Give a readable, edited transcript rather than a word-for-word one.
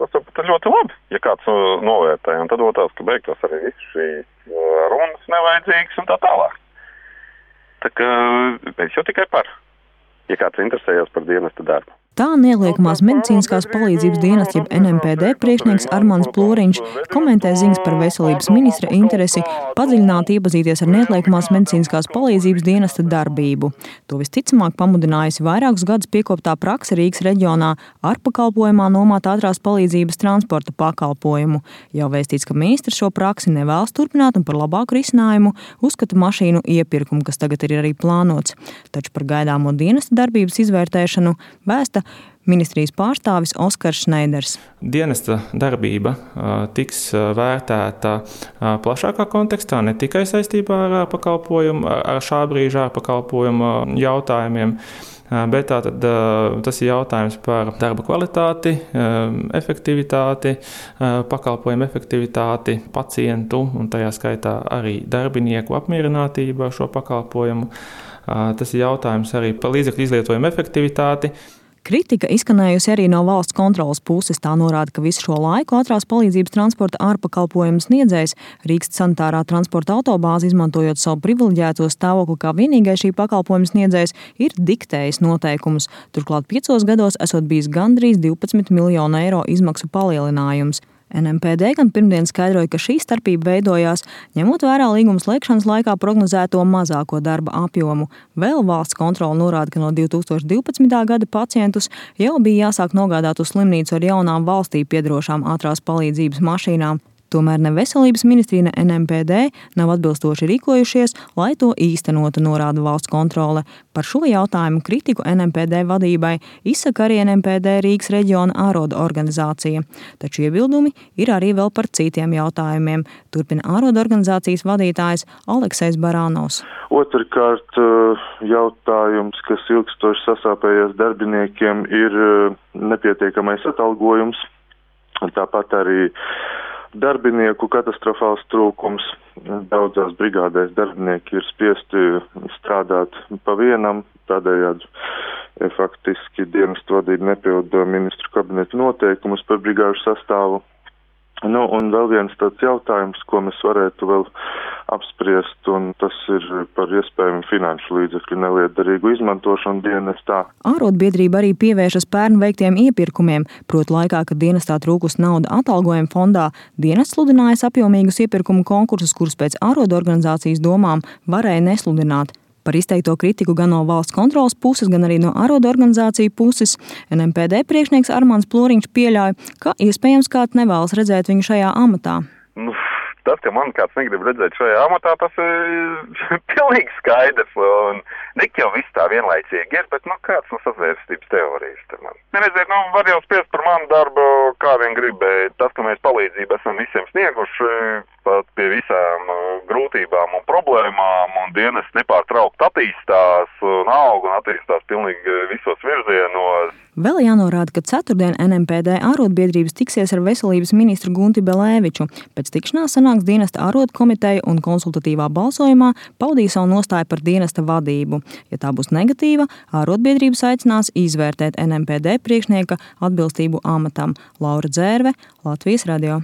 tas ir ļoti labi, ja kāds novērtē. Un tad otrs, ka beigtos arī viss šīs runas nevajadzīgas un tā tālāk. Tā kā es jau tikai par, ja kāds interesējas par dienesta darbu. Tā Nelieliekamās medicīniskās palīdzības dienesta jeb NMPD priekšnieks Armands Ploriņš komentē ziņas par veselības ministra interesi padziļināt iepazīties ar Nelieliekamās medicīniskās palīdzības dienesta darbību. To visticamāk pamudinājusi vairākus gadus piekoptā prakse Rīgas reģionā ar pakalpojumā nomāt ātrās palīdzības transporta pakalpojumu. Jau vēstīts, ka ministrs šo praksi nevēlas turpināt un par labāku risinājumu uzskata mašīnu iepirkumu, kas tagad ir arī plānots. Taču par gaidāmo dienesta darbības izvērtēšanu vēsta ministrijas pārstāvis Oskars Šneiders. Dienesta darbība tiks vērtēta plašākā kontekstā, ne tikai saistībā ar pakalpojumu, ar šā brīža pakalpojumu jautājumiem, bet tātad tas ir jautājums par darba kvalitāti, efektivitāti, pakalpojumu efektivitāti, pacientu un tajā skaitā arī darbinieku apmierinātību ar šo pakalpojumu. Tas ir jautājums arī par līdzekļu izlietojumu efektivitāti. Kritika izskanējusi arī no valsts kontroles puses. Tā norāda, ka visu šo laiku ātrās palīdzības transporta ārpakalpojumu sniedzējs Rīgas sanitārā transporta autobāzi, izmantojot savu privileģēto stāvokli kā vienīgais šī pakalpojuma sniedzējs, ir diktējis noteikumus. Turklāt 5 gados esot bijis gandrīz 12 miljonu eiro izmaksu palielinājums. NMPD gan pirmdien skaidroja, ka šī starpība veidojās, ņemot vērā līguma slēgšanas laikā prognozēto mazāko darba apjomu. Vēl valsts kontrole norāda, ka no 2012. gada pacientus jau bija jāsāk nogādāt uz slimnīcu ar jaunām valstī piederošām ātrās palīdzības mašīnām. Tomēr ne veselības ministrija, ne NMPD nav atbilstoši rīkojušies, lai to īstenotu, norāda valsts kontrole. Par šo jautājumu kritiku NMPD vadībai izsaka arī NMPD Rīgas reģiona ārodu organizācija. Taču iebildumi ir arī vēl par citiem jautājumiem, turpina ārodu organizācijas vadītājs Aleksejs Barānovs. Otrkārt, jautājums, kas ilgstoši sasāpējies darbiniekiem, ir nepietiekamais atalgojums. Tāpat arī darbinieku katastrofāls trūkums. Daudzās brigādēs darbinieki ir spiesti strādāt pa vienam, tādējādi faktiski dienestu vadība nepilda ministru kabineta noteikumus par brigāžu sastāvu. Un vēl viens tāds jautājums, ko mēs varētu vēl apspriest, un tas ir par iespējamu finanšu līdzekļu nelietderīgu izmantošanu dienestā. Ārodbiedrība arī pievēršas pērn veiktiem iepirkumiem, proti laikā, kad dienestā trūkus nauda atalgojuma fondā, dienests sludinājas apjomīgus iepirkumu konkursus, kurus pēc ārodu organizācijas domām varēja nesludināt. Par izteikto kritiku gan no valsts kontroles puses, gan arī no ārodu organizāciju puses NMPD priekšnieks Armands Ploriņš pieļauj, ka iespējams kāds nevēlas redzēt viņu šajā amatā. Tas, ka man kāds negrib redzēt šajā amatā, tas ir pilnīgi skaidrs. Un nek jau viss tā vienlaicīgi ir, bet kāds no sazvērstības teorijas te man. Neredziet, var jau spiest par manu darbu, kā vien grib, bet tas, ka mēs palīdzību esam visiem snieguši, pat pie visām grūtībām un problēmām, un dienests nepārtraukt attīstās un aug un attīstās pilnīgi visos virzienos. Vēl jānorāda, ka ceturtdien NMPD ārodbiedrības tiksies ar veselības ministru Gunti Belēviču. Pēc tikšanās sanāks dienesta ārodu komiteja un konsultatīvā balsojumā paudīja savu nostāju par dienesta vadību. Ja tā būs negatīva, ārodbiedrības aicinās izvērtēt NMPD priekšnieka atbilstību amatam. Laura Dzērve, Latvijas radio.